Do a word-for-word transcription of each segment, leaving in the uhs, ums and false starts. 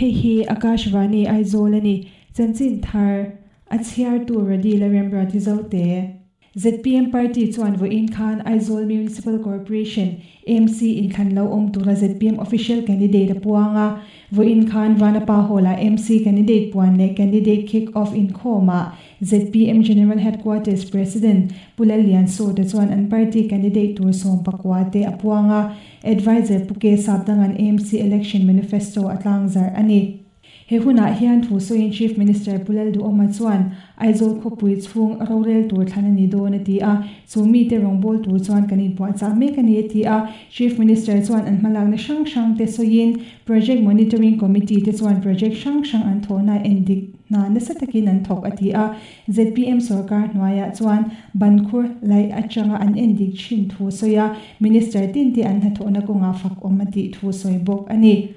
Hei hi Akashvani Aizawl ani chanchin thar a chhiar tu Radi Larembra Tizote Z P M Party chuan vawiin khan Aizawl Municipal Corporation M C inthlan lo awm tura Z P M official candidate a puanga. Vawiin khan Vanapa Hall-ah M C candidate puan leh candidate kick off inkhawmah Z P M General Headquarters President Pu Lalliansawta chuan an party candidate tur sawm pakua te a puanga. Advisor Pu K Sapdangan M C election manifesto a tlangzar ani. He hunah hian thu sawiin Chief Minister Pu Lalduhoma chuan Aizawl khawpui chhung rorel tur thlan ani dawn a ti a, chu mi te rawngbâwl tur chuan kan inpuahchah mek ani a ti a. Chief Minister chuan an hmalakna hrang hrang te sawiin Project Monitoring Committee te chuan project hrang hrang an thawhna endik hna nasa takin an thawk a ti a. Z P M sorkar hnuaiah chuan bankhur laih atanga an endik thin thu sawi a, Minister tin te an hnathawhna kawnga fak awm a tih thu sawi bawk ani.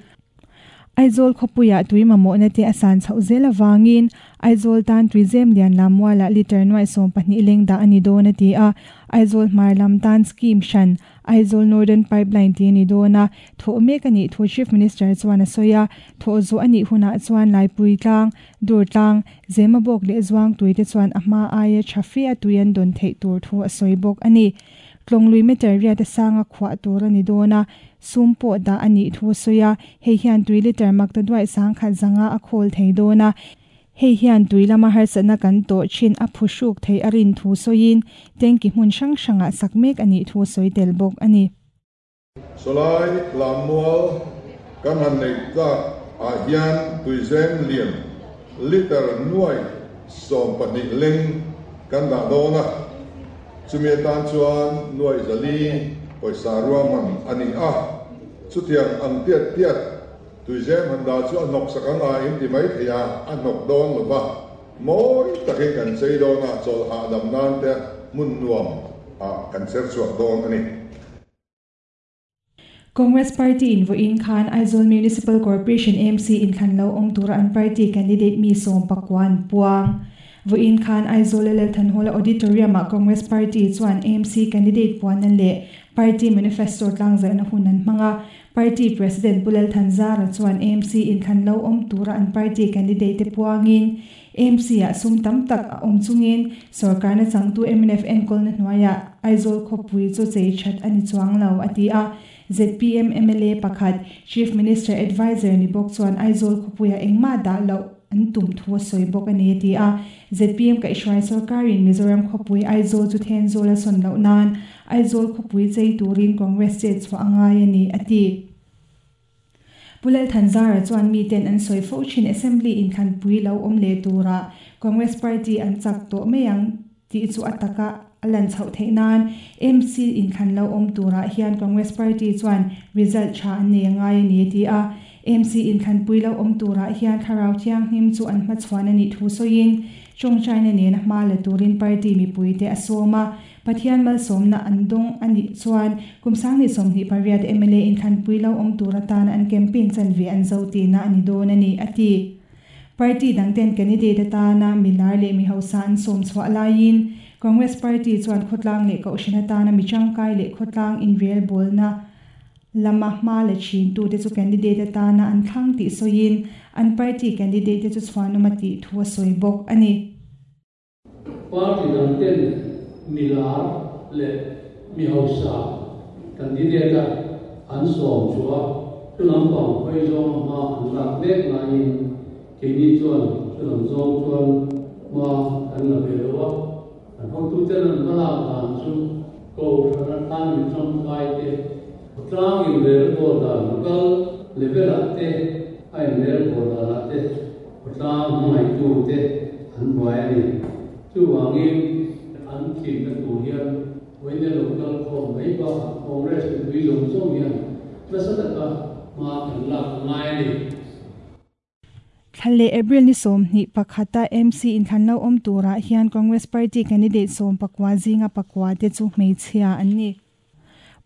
Aizawl khawpuiah tui mamawhna te a san chhoh zel avangin Aizawl tan tuizem lian lammualah litre nuai sawm pahnih leng dah a ni dawn a ti a. Aizawl hmar lam tan scheme hran Aizawl Northern Pipeline tih a ni dawn a, thawh mek a nih thu Chief Minister chuan a sawi a. Thawh zawh a nih hunah chuan Laipui tlang, Dur tlang, Zemabawk leh Zuangtui te chuan a hma aia tha fe a tui an dawn theih tur thu a sawi bawk a ni. Tlawng lui meter riat a sanga khuah tur a ni dawn a, sum pawh dah a nih thu a sawi a. Hei hian tui liter makta duai sangkhat zanga a khawl thei dawn a, hei hian tui lama harsatna kan tawh thin a phuhruk thei a rin thu sawiin tanki hmun hrang hrangah sak mek a nih thu sawi tel bawk a ni. Sawlai Lammual kan han neih tak ah hian tuizem lian liter nuai sawm pahnih leng kan dah dawn a, chumi atan chuan nuai zali pawisa ruahman a ni a. Chutiang ang tiat tiat tuizem han dah chu a hnawk sak anga in ti mai thei a, a hnawk dawn lova, mawi takin kan chei dawn a, chawlh hahdam nan te hmun nuam ah kan cher chhuak dawn a ni. Congress Party in vawiin khan Aizawl Municipal Corporation M C inthlan lo awm tura an party candidate mi sawm pakua an puang. Vawiin khan Aizawl Lal Thanhawla Auditorium-ah Congress Party chuan M C candidate puanna leh party manifesto tlangzarhna hun an hmang a. Party President Pu Lal Thanzara chuan M C inthlan lo awm tura an party candidate te puangin M C-ah sum tam tak a awm chungin sorkarna changtu M N F enkawlna hnuaiah Aizawl khawpui chu chei that a ni chuang lo a ti a. Z P M M L A pakhat, Chief Minister Advisor ni bawk chuan Aizawl khawpuiah engmah dah loh an tum thu a sawi bawk a ni a ti a. Z P M kaihhruai sorkarin Mizoram khawpui Aizawl chu Thenzawl a sawn loh nan Aizawl khawpui chei turin Congress chet chhuah a ngai a ni a ti. Pu Lal Thanzara chuan miten an sawi fo thin Assembly inthlanpui lo awm leh tura Congress Party an chak tawh mai ang tih chu a taka a lan chhoh theih nan M C inthlan lo awm turah hian Congress Party chuan result tha an nei a ngai a ni a ti a. M C inthlanpui lo awm turah hian thlarau thianghlim chu an hmachhuan a nih thu sawiin tawngtaina nena hma la turin party mipui te a sawm a. Pathian malsawmna an dawng a nih chuan kum sangni sawmhnih pariat M L A inthlanpui lo awm tur atana an campaign chanve an zo tihna a ni dawn a ni a ti. Party dangten candidate atana milar leh mi hausa an sawm chhuah laiin Congress Party chuan khawtlang leh kohhran atana mi tangkai leh khawtlang inrelbawlna lama hma la thin tu te chu candidate atana an thlang tih sawiin an party candidate te chu chhuanawm a tih thu a sawi bawk a ni. Party dangten milar leh mi hausa candidate an sawm chua chu lampang hawi zawng hma an lak mek laiin keini chuan chu lam zawng chuan hma kan la ve lo a. An hotu ten an hmalak dan chu kohhran atan mi tangkai te, khawtlang inrelbawl dan local level ah te a inrelbawl dan ah te, khawtlang hmangaihtu te an buai a ni. Chuwangin an tlinna tur hian vawiin local khawm mai bakah Congress mipui zawng zawng hian nasa taka hma kan lak a ngai a ni. Thlalle April ni sawmhnih pakhata M C inthlan lo awm turah hian Congress Party candidate sawm pakua zinga pakua te chu hmeichhia an ni.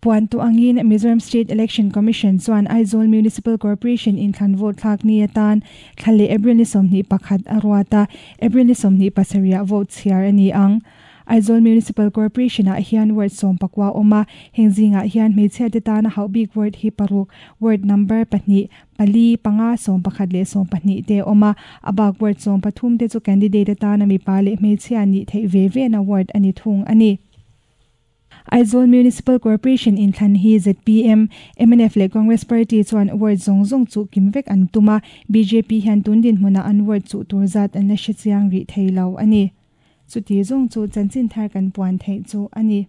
Puan tu angin Mizoram State Election Commission chuan Aizawl Municipal Corporation inthlan vote thlak ni atan thlalle April ni sawmhnih pakhat a ruata. April ni sawmhnih pasarih vote chhiar ani ang. Aizawl Municipal Corporation ah hian ward sawm pakua a awm a, heng zingah hian hmeichhia te tana hauh bik ward hi paruk, ward number pahnih, pali, panga, sawm pakhat leh sawm pahnih te a awm a, a bak ward sawm pathum te chu candidate atana mipa leh hmeichhia nih theih ve ve na ward a ni thung a ni. Aizawl Municipal Corporation inthlan hi Z P M, M N F leh Congress Party chuan ward zawng zawng chu kim vek an tum a, B J P hian tun dinhmunah an ward chuh tur zat an la hre chiang rih thei lo a ni. Chuti zawng chu chanchin thar kan puan theih chu a ni.